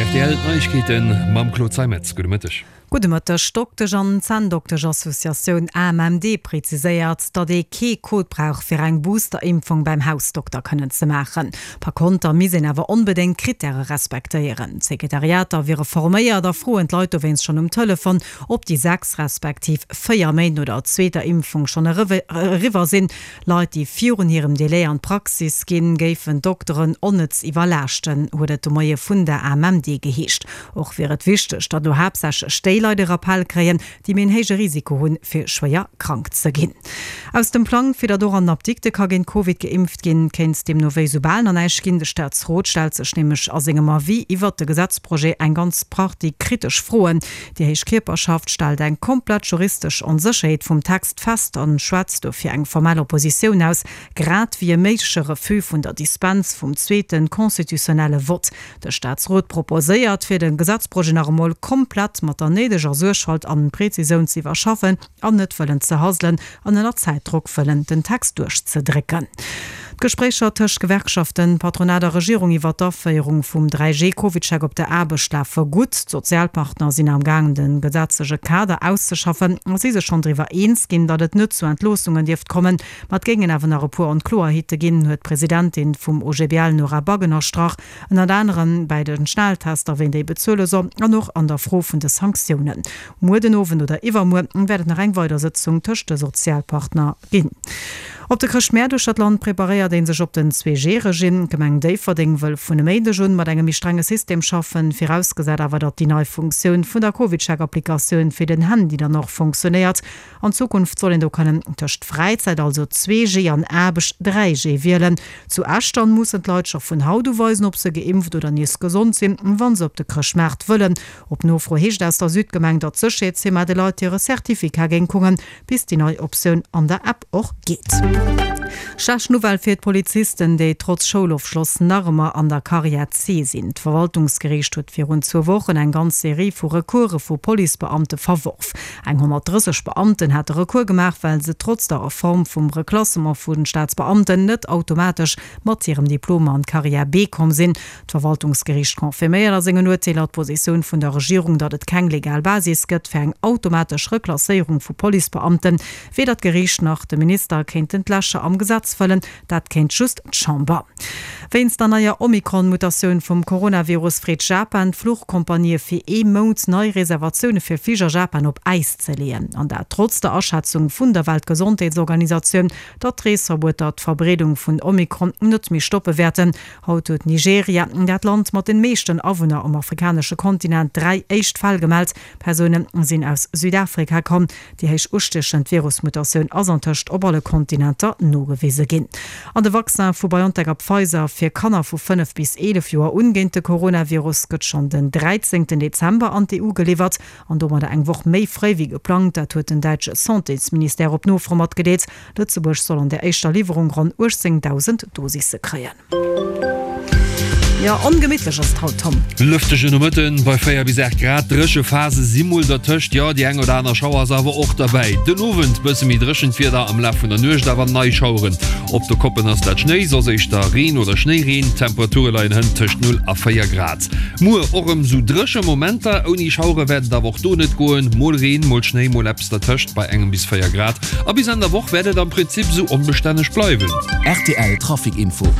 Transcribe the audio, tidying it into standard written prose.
Rtl Neiegkeeten mam Claude Zeimetz. Gudde Mëtteg. Gudde Mëtteg. D'Doktesch an Zänndoktesch-Associatioun AMMD preziséiert, datt ee kee Code brauch, fir eng Booster-Impfung beim Hausdokter kënnen ze maachen. Par konter misst een awer onbedéngt d'Krittäre respektéieren. D'Sekretariater wiere forméiert a froen d'Leit dowéinst schonn um Telefon, ob déi 6 respektiv 4 Méint no der zweeter Impfung schonn eriwwer sinn. Leit, déi virun hirem Delai an d'Praxis ginn, géifen d'Dokteren onnëtz iwwerlaaschten, huet et de Moie vun der AMMD geheescht. Och wier et wichteg, datt elo haaptsächlech déi Leit e Rappell kréien, déi méi en héije Risiko hunn, fir schwéier krank ze ginn. Aus dem Plang, fir datt och an den Apdikte ka géint Covid geimpft ginn, kéint deemno wéi soubal nach näischt ginn. De Staatsrot stellt sech nämlech a sengem Avis iwwert de Gesetzprojet eng ganz Partie kritesch Froen. Déi héich Kierperschaft stellt eng komplett juristesch Onsécherheet vum Text fest an schwätzt dofir eng formell Oppositioun aus, grad wéi e méigleche Refus vun der Dispens vum zweete constitutionnelle Vott. De Staatsrot proposéiert, fir de Gesetzprojet nach emol komplett mat der néideger Suergfalt an Präzisoun ze iwwerschaffen an net wëllen ze haselen an ënner Zäitdrock wëllen den Text duerchzedrécken. D'Gespréicher tëscht Gewerkschaften, Patronat a Regierung iwwer d'Aféierung vum 3G-Covidcheck op der Aarbecht lafe gutt. D'Sozialpartner sinn am Gaang de gesetzleche Kader auszeschaffen a si sech schonn driwwer eens ginn, datt et net zu Entloossungen dierft kommen. Ma et géingen awer nach e puer Onkloerheete ginn, huet d'Presidentin vum OGBL Nora Back ënnerstrach. Ënnert anerem bäi de Schnelltester, ween déi bezuele soll an och an der Fro vun de Sanktiounen. Muer den Owend oder iwwermuer wäert et nach eng weider Sëtzung tëscht de Sozialpartner ginn. Op de Chrëschtmäert uechter d'Land preparéiert ee sech op den 2G-Regime. D'Gemeng Déifferdeng wëll vun e Méindeg un mat engem méi strenge System schaffen, virausgesat awer, datt déi nei Funktioun vun der CovidCheck-Applikatioun fir den Handy dann och funktionéiert. An Zukunft soll een do kënnen tëscht Fräizäit, also 2G, an Aarbecht, 3G, wielen. Zu Esch dann mussen d'Leit scho vun haut u weisen, ob se geimpft oder nees gesond sinn, wa se op de Chrëschtmaart wëllen. Op Nofro heescht aus der Südgemeng, datt d'Sécherheetsfirma de Leit hire Certificat géing kucken, bis déi nei Optioun an der App och geet. Schlecht Nouvelle fir d'Polizisten, déi trotz Schoulofschloss nach ëmmer an der Carrière C sinn. D'Verwaltungsgeriicht huet virun zwou Wochen eng ganz Serie vu Recourse vu Policebeamte verworf. Eng 130 Beamten hate Recours gemaach, well se trotz der Reform vum Reklassement vu Staatsbeamten net automatesch mat hirem Diplom an d'Carrière B komm sinn. D'Verwaltungsgeriicht confirméiert a sengen Urteeler d'Positioun vun der Regierung, datt et keng legal Basis gëtt fir eng automatesch Reklasséierung vu Policebeamten. Weder d'Geriicht nach de Minister kéinten d'Lächer am Gesetz fëllen, dat kéint just d'Chamber. Wéinst der neier Omikron-Mutatioun vum Coronavirus freet Japan d'Fluchkompanië fir ee Mount nei Reservatioune fir Flich a Japan op Äis ze leeën. An dat trotz der Aschätzung vun der Weltgesondheetsorganisatioun, datt d'Reesverbueter d'Verbreedung vun Omikron net méi stoppe wäerten. Haut huet Nigeria, dat Land mat den meeschten Awunner um afrikanesche Kontinent, 3 éischt Fäll gemellt. Persoune sinn aus Südafrika komm. Déi héich ustiechend Virusmutatioun ass antëscht op alle Kontinenter nogewise ginn. An de Vaccin vu BioNTech a Pfizer fir Kanner vu 5 bis 11 Joer un géint de Coronavirus gëtt schonn den 13 Dezember an d'EU geliwwert an domadder eng Woch méi fréi wéi geplangt. Dat huet den däitsche Santésministère op Nofro matgedeelt. Lëtzebuerg soll an der éischter Liwwerung ronn 18.000 Dosisse kréien. Jo, ongemittlech ass et haut, Tom. Lëftege Nomëtten bei 4 bis 8 Grad, dréche Phase si mol dertëscht, jo déi eng oder aner Schauer ass awer och derbäi. Den Owend bësse méi dréchent Wieder, am Laf vun der Nuecht awer nei Schaueren. Op de Koppen ass dat Schnéi, soss éischter Reen oder Schnéireen. D'Temperature leien hënt tëscht 0 a 4 Grad. Muer och erëm sou dréche Momenter, ouni Schauere wäert et awer och do net goen, mol Reen, mol Schnéi, mol eppes dertëscht bei engem bis 4 Grad. A bis Enn der Woch wäert et am Prinzip esou onbestänneg bleiwen. Rtl Trafic Info.